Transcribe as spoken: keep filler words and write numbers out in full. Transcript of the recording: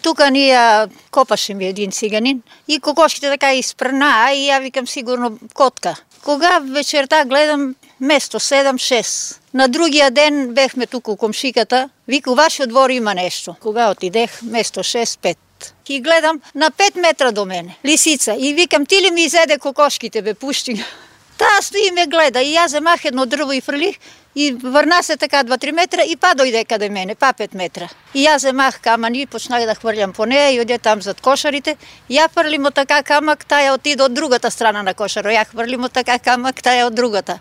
тука ние копаше ми един циганин и кокошките така испрнаа и ја викам сигурно котка. Кога вечерта гледам место седам шест. На другиот ден бевме туку у комшиката, вика у вашиот двор има нешто. Кога отидех место шест пет. И гледам на пет метра до мене, лисица. И викам, ти ли ми изеде кокошките, бе, пушти. Таа стои и ме гледа. И јас земах едно дрво и фрлих и врна се така два-три метра и па дојде каде мене, па пет метра. И јас земах камъни и почнах да хврлям по неја и оде там зад кошарите. Ја фрлим од така камък, таја отиде од другата страна на кошаро. Ја хврлим од така камък, таја од другата.